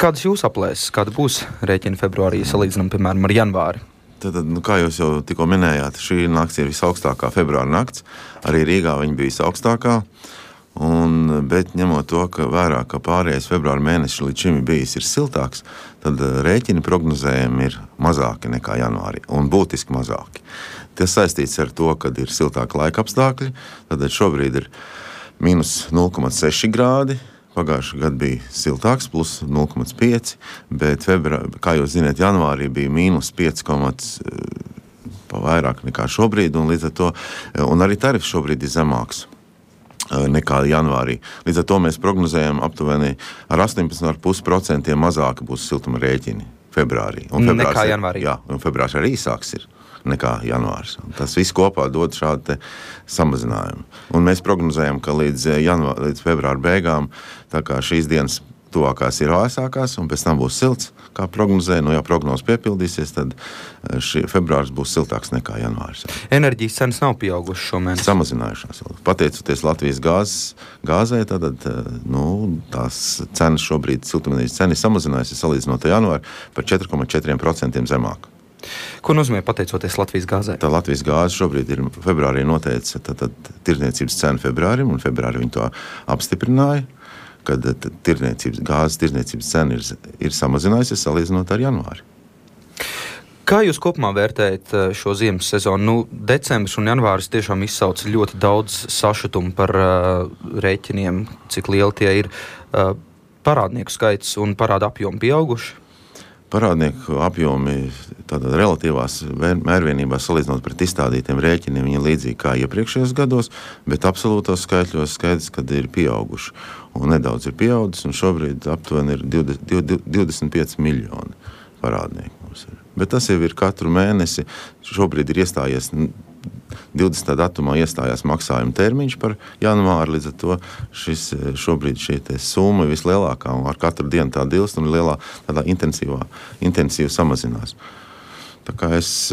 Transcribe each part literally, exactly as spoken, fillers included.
Kādas jūs aplēses, kāda būs rēķina februārī salīdzinām, piemēram, ar janvāri? Tad, nu, kā jūs jau tikko minējāt, šī nakts ir visaugstākā februāra nakts. Arī Rīgā viņa bija visaugstākā. Un, bet ņemot to, ka vērā, ka pārējais februāra mēnesis līdz šim bijis ir siltāks, tad rēķini prognozējumi ir mazāki nekā janvārī un būtiski mazāki. Tas saistīts ar to, ka ir siltāki laika apstākļi. Tad šobrīd ir mīnus nulle komats seši grādi. Pagājušā gada bija siltāks, plus nulle komats pieci, bet, februā, kā jūs zināt, janvārī bija mīnus pieci komats vairāk nekā šobrīd, un līdz ar to, un arī tarifs šobrīd ir zemāks nekā janvārī. Līdz ar to mēs prognozējam aptuveni ar astoņpadsmit komats pieci procenti mazāk būs siltuma rēķini februārī. Un nekā janvārī. Jā, un februārs arī īsāks ir nekā janvārs. Tas viss kopā dod šādu te samazinājumu. Un mēs prognozējam, ka līdz, janvā, līdz februāra beigām, tā kā šīs dienas tuvākās ir āsākās, un pēc tam būs silts, kā prognozēja. Nu, ja prognozes piepildīsies, tad šī februārs būs siltāks nekā janvārs. Enerģijas cenas nav pieaugušas šomēnes? Samazinājušās. Pateicoties Latvijas gāzes, gāzē, tad nu, tās cenas šobrīd, siltumenerģijas cena ir samazinājusies salīdzinot ar janvāru par četri komats četri procenti zemāk. Ko nozīmē pateicoties Latvijas gāzē? Tā Latvijas gāze šobrīd ir februārī noteica tirdzniecības cenu februārim, un februārī viņi to apstiprināja, kad tirdzniecības, gāzes tirdzniecības cena ir, ir samazinājusies salīdzinot ar janvāri. Kā jūs kopumā vērtējat šo ziemas sezonu? Nu, decembris un janvāris tiešām izsauc ļoti daudz sašutumu par uh, rēķiniem, cik lieli tie ir. Uh, parādnieku skaits un parāda apjomi pieauguši? Parādnieku apjomi tādā relatīvās mērvienībās salīdzinot pret izstādītiem rēķiniem viņi līdzīgi kā iepriekšējos gados, bet absolūtos skaitļos skaidrs, kad ir pieauguši. Un nedaudz ir pieaudzis, un šobrīd aptuveni ir divdesmit pieci miljoni parādnieku mums ir. Bet tas jau ir katru mēnesi. Šobrīd ir iestājies divdesmitā datumā iestājās maksājuma termiņš par janvāru, līdz ar to šis, šobrīd šī summa ir vislielākā, un ar katru dienu tā dilst un lielā, tādā intensīvā, intensīvi samazinās. Tā kā es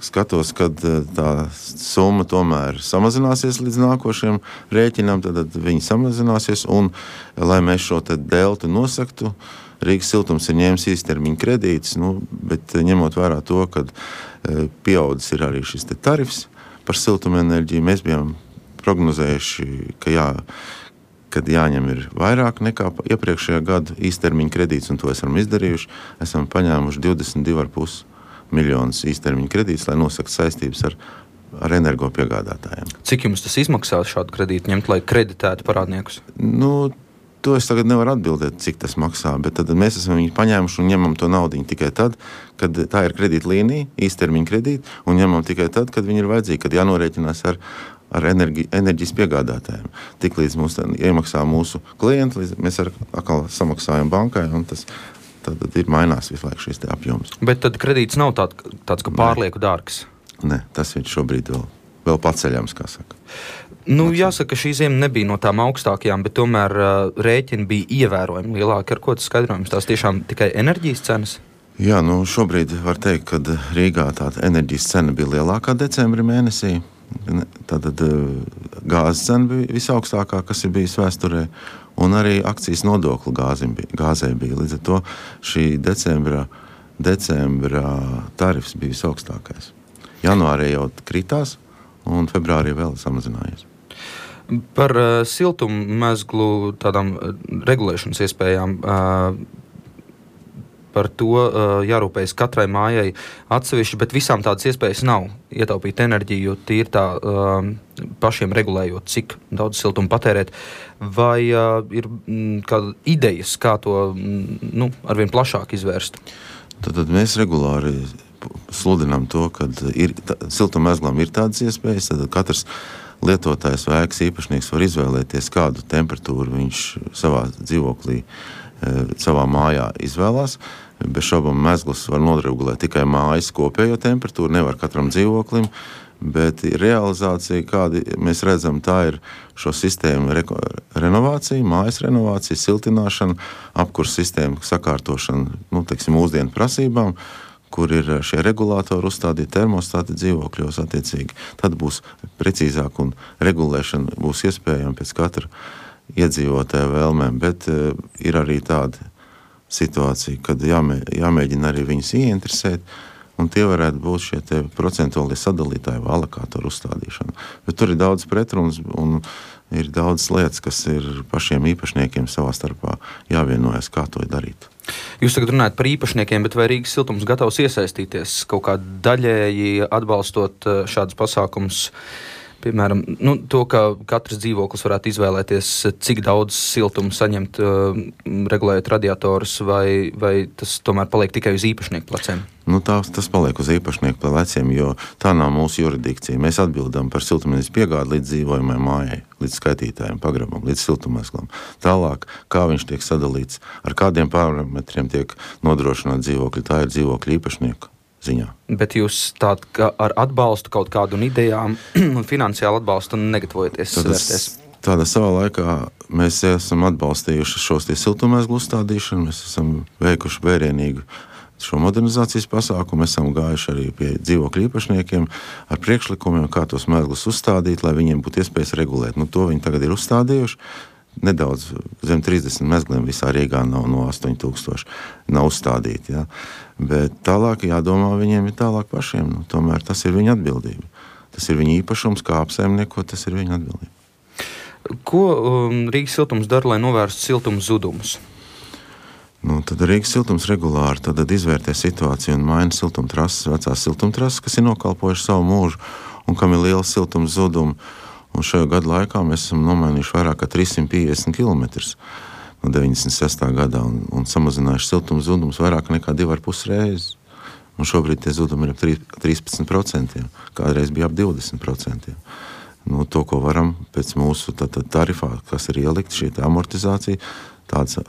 skatos, kad tā summa tomēr samazināsies līdz nākošiem rēķinām, tad viņi samazināsies, un lai mēs šo te deltu nosaktu, Rīgas siltums ir ņēmis īstermiņa kredītus, nu, bet ņemot vērā to, ka pieaudzis ir arī šis te tarifs par siltumenerģiju, mēs bijām prognozējuši, ka jā, kad jāņem ir vairāk nekā iepriekšējā gada īstermiņa kredīts, un to esam izdarījuši, esam paņēmuši divdesmit divi komats pieci miljonus īstermiņa kredītus, lai nosaktu saistības ar, ar energo piegādātājiem. Cik jums tas izmaksās šādu kredītu ņemt, lai kreditētu parādniekus? Nu, to es tagad nevaru atbildēt, cik tas maksā, bet tad mēs esam viņu paņēmuši un ņemam to naudiņu tikai tad, kad tā ir kredīta līnija, īstermiņa kredīta, un ņemam tikai tad, kad viņi ir vajadzīgi, kad jānorēķinās ar, ar energi, enerģijas piegādātājiem. Tik līdz mums iemaksā mūsu klienti, līdz mēs ar, atkal samaksājam bankai, un tas tad ir mainās visu laiku šīs te apjoms. Bet tad kredīts nav tād, tāds, ka pārlieku dārgs? Nē, tas ir šobrīd vēl, vēl paceļams, kā saka. Nu, jāsaka, ka šī ziema nebija no tām augstākajām, bet tomēr uh, rēķini bija ievērojami lielāki. Ar ko tas skaidrojums? Tās tiešām tikai enerģijas cenas? Jā, nu šobrīd var teikt, ka Rīgā tāda enerģijas cena bija lielākā decembra mēnesī. Tātad gāzes cena bija visaugstākā, kas ir bijis vēsturē, un arī akcijas nodokli gāzē bija. Līdz ar to šī decembra, decembra tarifs bija visaugstākais. Janvārī jau kritās, un februārī vēl samazinājies. Par uh, siltummezglu tādām uh, regulēšanas iespējām, uh, par to uh, jārūpējas katrai mājai atsevišķi, bet visām tādas iespējas nav ietaupīt enerģiju, tīri tā uh, pašiem regulējot, cik daudz siltumu patērēt. Vai uh, ir mm, kāda idejas, kā to mm, nu, arvien plašāk izvērst? Tad, tad mēs regulāri sludinām to, ka ir, siltummezglam ir tādas iespējas, tad katrs lietotājs vai ēkas īpašnieks var izvēlēties, kādu temperatūru viņš savā dzīvoklī, savā mājā izvēlās. Bez šaubām mezgls var noregulēt tikai mājas kopējo temperatūru, nevar katram dzīvoklim, bet realizācija, kādi mēs redzam, tā ir šo sistēmu re- renovācija, mājas renovācija, siltināšana, apkurs sistēmu sakārtošana, nu, teiksim, mūsdienu prasībām, kur ir šie regulātori uzstādīti termostāti dzīvokļos attiecīgi. Tad būs precīzāk un regulēšana būs iespējama pēc katra iedzīvotāja vēlmēm, bet uh, ir arī tādi situācija, kad jāmē, jāmēģina arī viņus ieinteresēt, un tie varētu būt šie te procentuālie sadalītāji vai alokātoru uzstādīšana. Bet tur ir daudz pretrunas un ir daudz lietas, kas ir pašiem īpašniekiem savā starpā jāvienojas, kā to darīt. Jūs tagad runājat par īpašniekiem, bet vai Rīgas siltums gatavs iesaistīties kaut kā daļēji atbalstot šādus pasākumus? Piemēram, nu, to, ka katrs dzīvoklis varētu izvēlēties, cik daudz siltumu saņemt, uh, regulējot radiatorus, vai, vai tas tomēr paliek tikai uz īpašnieku pleciem? Nu, tā, tas paliek uz īpašnieku pleciem, jo tā nav mūsu juridikcija. Mēs atbildam par siltumnīcas piegādi līdz dzīvojamai mājai, līdz skaitītājiem, pagrabam, līdz siltummezglam. Tālāk, kā viņš tiek sadalīts, ar kādiem parametriem tiek nodrošināt dzīvokļi, tā ir dzīvokļu īpašnieku ziņā. Bet jūs tād, ka ar atbalstu kaut kādu un idejām un finansiālu atbalstu negatavojaties vērties? Tādā savā laikā mēs esam atbalstījuši šos tie siltummezglu uzstādīšanu, mēs esam veikuši vērienīgu šo modernizācijas pasākumu, mēs esam gājuši arī pie dzīvokļu īpašniekiem ar priekšlikumiem, kā tos mezglus uzstādīt, lai viņiem būtu iespējas regulēt. Nu, to viņi tagad ir uzstādījuši. Nedaudz zem trīsdesmit mezgliem visā Rīgā nav no astoņi tūkstoši nav uzstādīti. Ja? Bet tālāk jādomā viņiem ir tālāk pašiem. Nu, tomēr tas ir viņa atbildība. Tas ir viņa īpašums, kā apsaimniekot, tas ir viņa atbildība. Ko um, Rīgas siltums dara, lai novērstu siltuma zudumus? Nu, tad Rīgas siltums regulāri tad izvērtē situāciju un maina siltumtrases, vecās siltumtrases, kas ir nokalpojuši savu mūžu un kam ir liela siltuma zuduma. Un šajā gadu laikā mēs esam nomainījuši vairāk kā trīs simti piecdesmit kilometrus no deviņdesmit sestā gadā un, un samazinājuši siltuma zudumus vairāk nekā divi ar pus reizes. Un šobrīd tie zudumi ir ap trīspadsmit procenti, kādreiz bija ap divdesmit procenti. Nu, to, ko varam pēc mūsu tā, tā, tarifā, kas ir ielikt, šī tā amortizācija, tādas,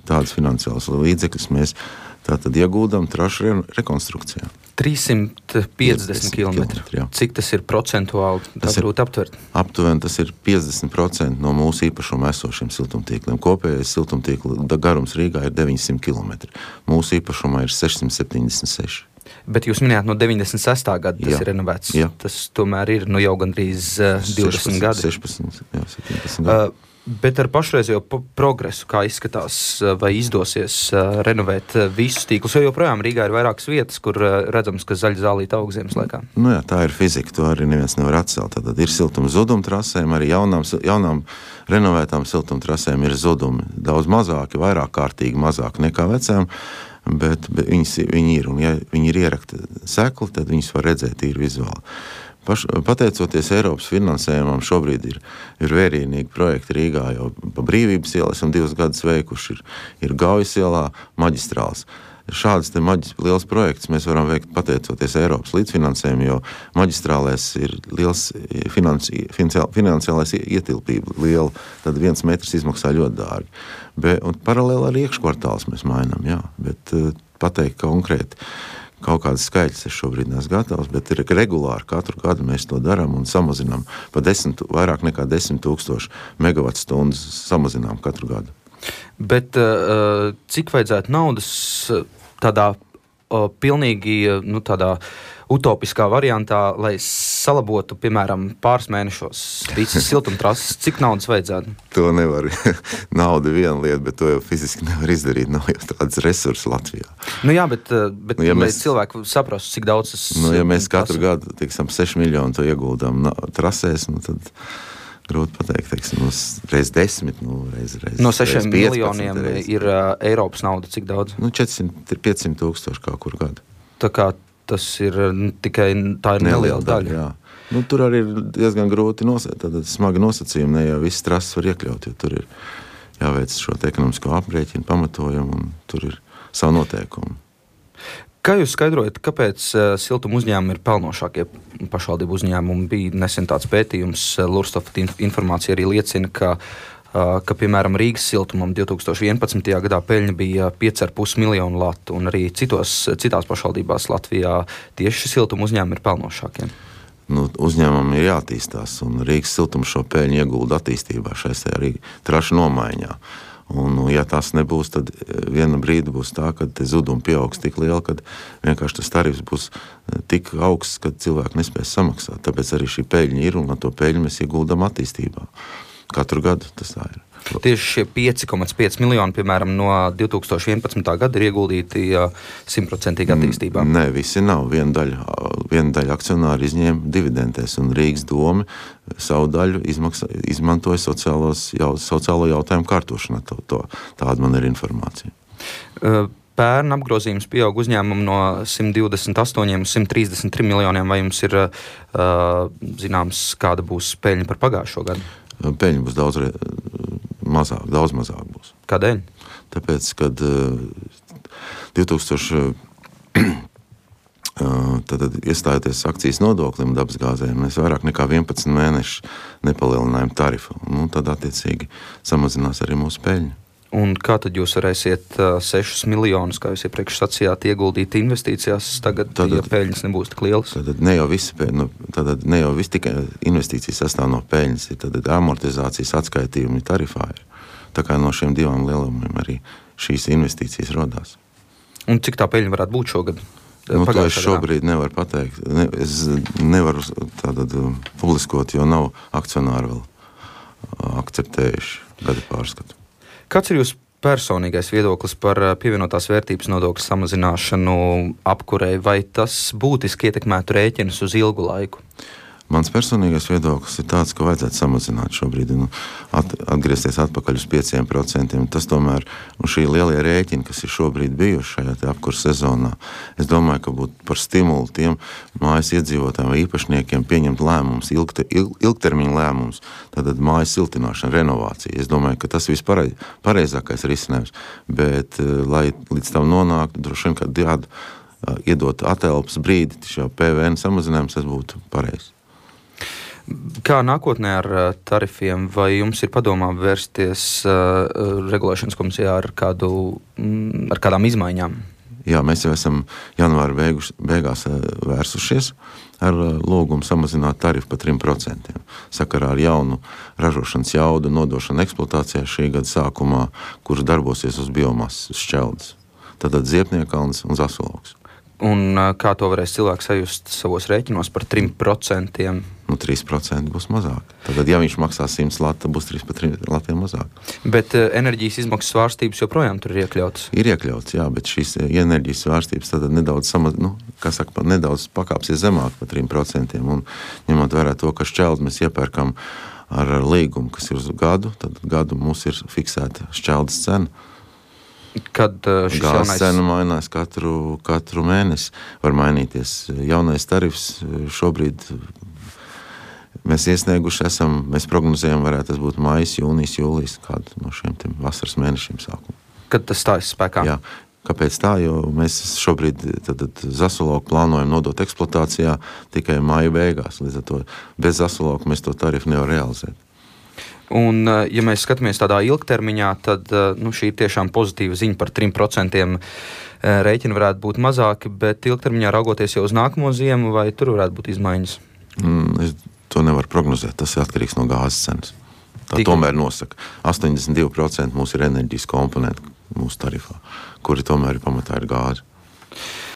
tādas finansiālas līdzekļus mēs tātad ieguldam trašu re, rekonstrukcijā. trīs simti piecdesmit kilometri. Cik tas ir procentuāli? Tā grūti aptvert. Aptuveni tas ir piecdesmit procenti no mūsu īpašuma esošiem siltumtīkliem. Kopējais siltumtīkla garums Rīgā ir deviņsimt kilometri. Mūsu īpašumā ir sešsimt septiņdesmit seši. Bet jūs minējāt no deviņdesmit sestā gada tas jā. ir renovēts. Jā. Tas tomēr ir nu, jau gandrīz uh, divdesmit gadi. sešpadsmit, jā, septiņdesmit gadi. Uh, Bet ar pašreizējo progresu, kā izskatās, vai izdosies uh, renovēt uh, visus tīklus, jo joprojām Rīgā ir vairākas vietas, kur uh, redzams, ka zaļa zālīte aug ziemas laikā. Nu jā, tā ir fizika, to arī neviens nevar atcelt. Tad ir siltuma zuduma trasēm, arī jaunām, jaunām renovētām siltuma trasēm ir zudumi. Daudz mazāki, vairāk kārtīgi mazāki nekā vecām, bet, bet viņas, viņi ir, un ja viņi ir ierakti sekli, tad viņas var redzēt tīri vizuāli. Paš, pateicoties Eiropas finansējumam, šobrīd ir, ir vērienīgi projekti Rīgā, jau pa Brīvības ielu esam divus gadus veikuši, ir, ir Gaujas ielā maģistrāls. Šādas te maģis, liels projekts mēs varam veikt pateicoties Eiropas līdzfinansējumu, jo maģistrālēs ir liels finansi, finansiālais ietilpība liela, tad viens metrs izmaksā ļoti dārgi. Be, un paralēli ar iekškvartāls mēs mainām, jā, bet pateikt konkrēti, kaut kādas skaļas es šobrīd neesmu gatavs, bet ir regulāri katru gadu mēs to darām un samazinām pa desmit, vairāk nekā desmit tūkstoši megawatu stundas samazinām katru gadu. Bet uh, cik vajadzētu naudas tādā uh, pilnīgi nu, tādā utopiskā variantā, lai salabotu, piemēram, pāris mēnešos visas siltumtrases, cik naudas vajadzētu? To nevar. Nauda ir viena lieta, bet to jau fiziski nevar izdarīt. Nav jau tādas resursi Latvijā. Nu jā, bet, bet nu, ja lai mēs, cilvēki saprastu, cik daudz tas... Nu, ja mēs katru gadu, teiksim, seši miljoni to ieguldām trasēs, nu tad grūti pateikt, teiksim, reiz desmit, nu, reiz, reiz no sešiem miljoniem reiz. Ir uh, Eiropas nauda, cik daudz? Nu, četrsimt piecsimt tūkstoši kā kur gadu. Tā kā tas ir tikai, tā ir neliela daļa. Jā. Nu, tur arī ir diezgan grūti nosacīt, tad smagi nosacījumi, ne jau viss trases var iekļaut, jo tur ir jāveic šo ekonomisko aprēķinu, pamatojumu, un tur ir savu noteikumu. Kā jūs skaidrojat, kāpēc uh, siltuma uzņēmumi ir pelnošākie pašvaldību uzņēmumi? Bija nesen tāds pētījums, uh, Lurstofa informācija arī liecina, ka ka, piemēram, Rīgas siltumam divs tūkstoši vienpadsmitajā gadā peļņa bija pieci ar pus miljonu latu, un arī citos, citās pašvaldībās Latvijā tieši siltuma uzņēmumi ir pelnošākie. Nu, uzņēmumam ir jātīstās, un Rīgas siltums šo peļņu iegulda attīstībā, šais arī trašu nomaiņā. Un, ja tas nebūs, tad viena brīdi būs tā, ka zudumi pieaugs tik liela, kad vienkārši tas tarifs būs tik augsts, ka cilvēki nespēs samaksāt. Tāpēc arī šī peļņa ir, un ar to peļņu mēs ieguldam attīstībā. katru gadu tas tā ir. Tieši šie pieci komats pieci miljoni, piemēram, no divi tūkstoši vienpadsmitā gada ir ieguldīti simtprocentīgi attīstībā. Nē, visi nav. Viena daļa, viena daļa akcionāri izņēma dividendēs, un Rīgas doma savu daļu izmaksa, izmantoja sociālos, jau, sociālo jautājumu kārtošanā. To, to, tāda man ir informācija. Pērn apgrozījums pieaug uzņēmumu no simt divdesmit astoņiem uz simt trīsdesmit trim miljoniem. Vai jums ir zināms, kāda būs peļņa par pagājušo gadu? Peļņa būs daudz mazāk, daudz mazāk būs. Kādēļ? Tāpēc, kad divi tūkstoši tad iestājoties akcijas nodoklim dabasgāzēm, mēs vairāk nekā vienpadsmit mēnešu nepalielinājām tarifu. Nu, tad attiecīgi samazinās arī mūsu peļņa. Un kā tad jūs varēsiet uh, sešus miljonus, kā jūs iepriekš sacījāt, ieguldīt investīcijās, tagad, tad, ja peļņas nebūs tik lielas? Tad ne jau visi, nu, tad ne jau visi tikai investīcijas sastāv no peļņas, tad amortizācijas atskaitījumi tarifā ir. Tā kā no šiem divām lielumiem arī šīs investīcijas rodās. Un cik tā peļņa varētu būt šogad? Nu, to es šobrīd nevaru pateikt. Ne, es nevaru tātad publiskot, jo nav akcionāri vēl akceptējuši gada pārskatu. Kāds ir jūsu personīgais viedoklis par pievienotās vērtības nodokļu samazināšanu apkurei, vai tas būtiski ietekmētu rēķinus uz ilgu laiku? Mans personīgais viedoklis ir tāds, ka vajadzētu samazināt šobrīd, nu, at, atgriezties atpakaļ uz pieciem procentiem. Tas tomēr, un šī lielie rēķini, kas ir šobrīd bijuši šajā te apkurs sezonā, es domāju, ka būtu par stimulu tiem mājas iedzīvotājiem vai īpašniekiem pieņemt lēmumus, ilgte, il, ilgtermiņa lēmumus, tātad mājas siltināšana, renovācija. Es domāju, ka tas ir vispareiz, pareizākais risinājums, bet, lai līdz tam nonāktu, droši vien, kad jād, iedot atelpas brīdi, šā P V N samazinājums, tas būtu pareizi. Kā nākotnē ar tarifiem, vai jums ir padomā vērsties uh, regulēšanas komisijā ar, kādu, mm, ar kādām izmaiņām? Jā, mēs jau esam janvāra beigus, beigās vērsušies ar lūgumu samazināt tarifu par trim procentiem. Sakarā ar jaunu ražošanas jaudu nodošanu eksploatācijā šī gada sākumā, kurš darbosies uz biomasas, uz šķeldes. Tātad Ziepniekalns un Zasoloks. Un kā to varēs cilvēks sajust savos rēķinos par trim procentiem? Nu, trīs procenti būs mazāk. Tātad, ja viņš maksā simt lati, tad būs trīs par trim latiem mazāk. Bet uh, enerģijas izmaksas svārstības joprojām tur ir iekļautas? Ir iekļauts, jā, bet šīs enerģijas svārstības tad nedaudz, samaz, nu, kā saka, nedaudz pakāpsies zemāk par trim procentiem. Un ņemot vērā to, ka šķeldi mēs iepērkam ar līgumu, kas ir uz gadu, tad gadu mums ir fiksēta šķeldes cena. Kad uh, šis Gāzes jaunais... cena mainās katru, katru mēnesi, var mainīties. Jaunais tarifs šobrīd mēs iesnieguši esam, mēs prognozējam, varētu tas būt maijs, jūnijas, jūlijas, kādu no šiem vasaras mēnešiem sākumu. Kad tas stājas spēkā? Jā. Kāpēc tā? Jo mēs šobrīd tad, tad Zasoloku plānojam nodot eksploatācijā tikai māja beigās. Līdz ar to bez Zasoloku mēs to tarifu nevar realizēt. Un, ja mēs skatāmies tādā ilgtermiņā, tad nu, šī ir tiešām pozitīva ziņa par trim procentiem. Rēķini varētu būt mazāki, bet ilgtermiņā raugoties jau uz nākamo ziemu, vai tur varētu būt izmaiņas? Mm, es to nevaru prognozēt. Tas ir atkarīgs no gāzes cenas. Tā Tikai... tomēr nosaka. astoņdesmit divi procenti mūsu ir enerģijas komponenti mūsu tarifā, kuri tomēr ir pamatā ir gāze.